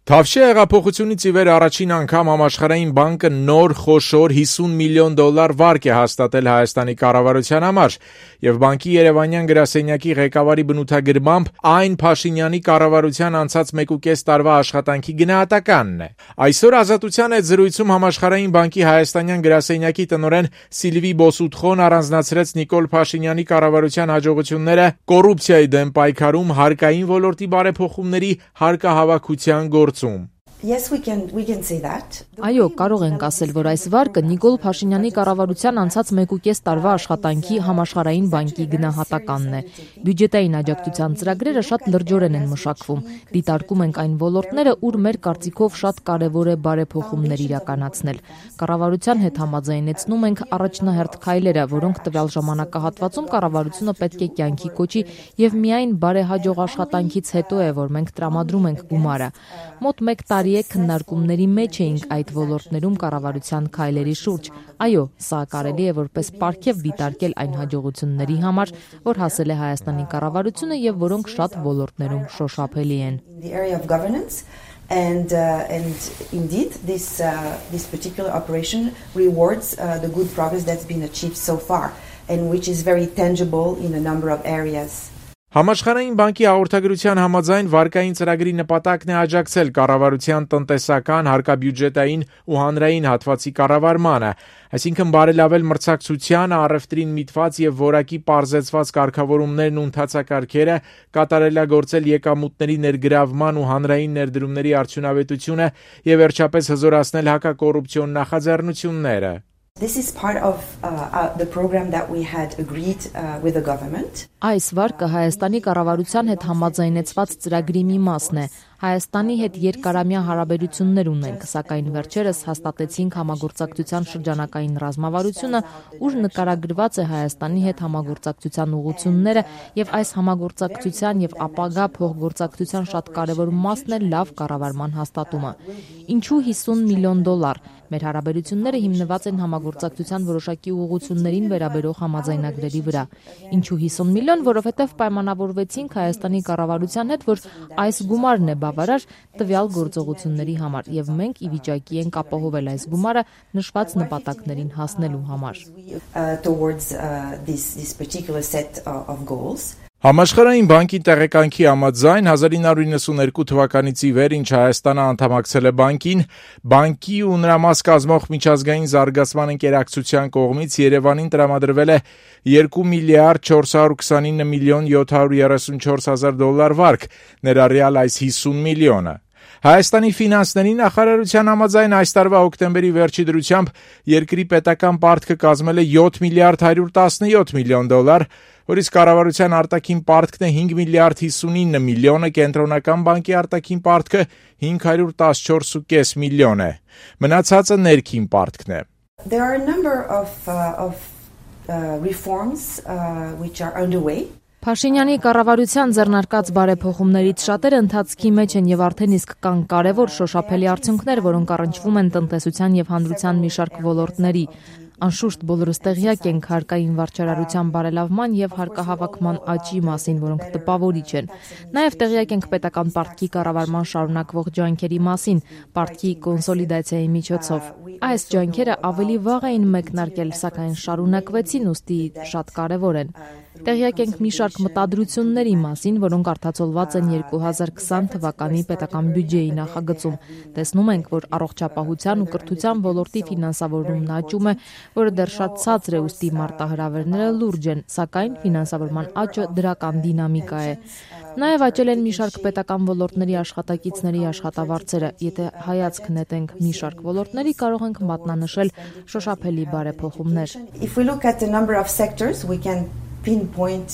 Թավշյա հեղափոխությունից ի վեր առաջին անգամ Համաշխարհային բանկը նոր խոշոր $50 միլիոն վարկ է հաստատել Հայաստանի կառավարության համար, եւ բանկի երևանյան գրասենյակի ղեկավարի բնութագրմամբ այն Փաշինյանի կառավարության անցած 1.5 տարվա աշխատանքի գնահատականն է։ Այսօր Ազատության հետ զրույցում Համաշխարհային բանկի հայաստանյան գրասենյակի տնօրեն Սիլվի Բոսուտխոն առանձնացրեց Նիկոլ Փաշինյանի կառավարության հաջողությունները կոռուպցիայի դեմ պայքարում, հարկային ոլորտի բարեփոխումների, հարկահավաքության գործում։ Yes, we can say that. Այո, կարող ենք ասել, որ այս վարկը Նիկոլ Փաշինյանի կառավարության անցած 1.5 տարվա աշխատանքի Համաշխարհային բանկի գնահատականն է։ Բյուջետային աջակցության ծրագրերը շատ լրջորեն են մշակվում։ Դիտարկում ենք այն ոլորտները, ուր մեր կարծիքով շատ կարևոր է բարեփոխումներ իրականացնել։ Կառավարության հետ համաձայնեցնում ենք առաջնահերթ քայլերը, որոնք տվյալ ժամանակահատվածում կառավարությունը պետք է կյանքի կոչի, եւ միայն բարեհաջող աշխատանքից հետո է, որ մենք տրամադրում ենք գումարը։ Մոտ 1 տարի քննարկումների մեջ էինք այդ ոլորտներում կառավարության քայլերի շուրջ։ Այո, սա կարելի է որպես պարգև դիտարկել այն հաջողությունների համար, որ հասել է Հայաստանի կառավարությունը եւ որոնք շատ ոլորտներում շոշափելի են։ And indeed, this particular operation rewards the good progress that's been achieved so far, and which is very tangible in a number of areas. Համաշխարհային բանկի հաղորդագրության համաձայն վարկային ծրագրի նպատակն է աջակցել կառավարության տնտեսական, հարկաբյուջետային ու հանրային հատվածի կառավարմանը, այսինքն բարելավել մրցակցության, առևտրին միտված եւ որակի պարզեցված կարգավորումներն ու ընթացակարգերը, կատարելագործել եկամուտների ներգրավման ու հանրային ներդրումների արդյունավետությունը եւ վերջապես հզորացնել հակակոռուպցիոն նախաձեռնությունները։ This is part of the program that we had agreed with the government. Այս վարկը Հայաստանի կառավարության հետ համաձայնեցված ծրագրի մի մասն է։ Հայաստանի հետ երկարամյա հարաբերություններ ունենք, սակայն վերջերս հաստատեցինք համագործակցության շրջանակային ռազմավարությունը, ուր նկարագրված է Հայաստանի հետ համագործակցության ուղղությունները եւ այս համագործակցության եւ ապագա փոխգործակցության շատ կարեւոր մասն է լավ կառավարման հաստատումը։ Ինչու $50 միլիոն։ Մեր հարաբերությունները հիմնված են համագործակցության որոշակի ուղղություններին վերաբերող համաձայնագրերի վրա։ Ինչու 50 միլիոն, որովհետև պայմանավորվեցինք Հայաստանի կառավարության հետ, որ այս գումարն է բավարար տվյալ գործողությունների համար, եւ մենք ի վիճակի ենք ապահովել այս գումարը նշված նպատակներին հասնելու համար։ Համաշխարհային բանկի տեղեկանքի համաձայն 1992 թվականից ի վեր, ինչ Հայաստանը անդամակցել է բանկին, բանկի ու նրա մաս կազմող միջազգային զարգացման ընկերակցության կողմից Երևանին տրամադրվել է $2 միլիարդ 429 միլիոն 734 հազար վարկ, ներառյալ այս 50 միլիոնը։ Հայաստանի ֆինանսների նախարարության համաձայն այս տարվա հոկտեմբերի վերջի դրությամբ երկրի պետական պարտքը կազմել է $7 միլիարդ 117 միլիոն, որից կառավարության արտաքին պարտքն է $5 միլիարդ 59 միլիոնը, կենտրոնական բանկի արտաքին պարտքը $514.5 միլիոն է։ Մնացածը ներքին պարտքն է։ There are a number of reforms which are underway. Փաշինյանի կառավարության ձեռնարկած բարեփոխումներից շատերը ընթացքի մեջ են եւ արդեն իսկ կան կարեւոր շոշափելի արդյունքներ, որոնք առնչվում են տնտեսության եւ հանրության մի շարք ոլորտների։ Անշուշտ բոլորս տեղյակ ենք հարկային վարչարարության բարելավման եւ հարկահավաքման աճի մասին, որոնք տպավորիչ են։ Նաեւ տեղյակ ենք պետական պարտքի կառավարման շարունակվող ջանքերի մասին, պարտքի կոնսոլիդացիայի միջոցով։ Այս ջանքերը ավելի վաղ էին մեկնարկել, սակայն շարունակվեցին, ուստի շատ կարեւոր են։ Տեղյակ ենք մի շարք մտադրությունների մասին, որոնք արտացոլված են 2020 թվականի պետական բյուջեի նախագծում։ Տեսնում ենք, որ առողջապահության ու կրթության ոլորտի ֆինանսավորումն աճում է, որը դեռ շատ ցածր է, ուստի մարտահրավերները լուրջ են, սակայն ֆինանսավորման աճը դրական դինամիկա է։ Նաև աճել են մի շարք պետական ոլորտների աշխատակիցների աշխատավարձերը։ Եթե հայացք նետենք մի շարք ոլորտների, կարող ենք մատնանշել շոշափելի բարեփոխումներ։ If we look at the number of sectors, we can pinpoint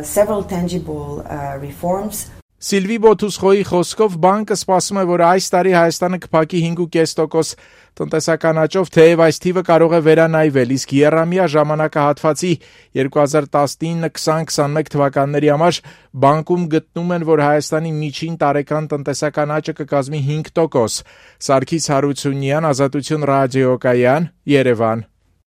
several tangible reforms. Սիլվի Բոսուտխոյի խոսքով բանկը սպասում է, որ այս տարի Հայաստանը կփակի 5.5% տնտեսական աճով, թեև այս թիվը կարող է վերանայվել, իսկ եռամյա ժամանակահատվածի 2019-2021 թվականների համար բանկում գտնում են, որ Հայաստանի միջին տարեկան տնտեսական աճը կկազմի 5%։ Սարգիս Հարությունյան, Ազատություն ռադիոկայան, Երևան։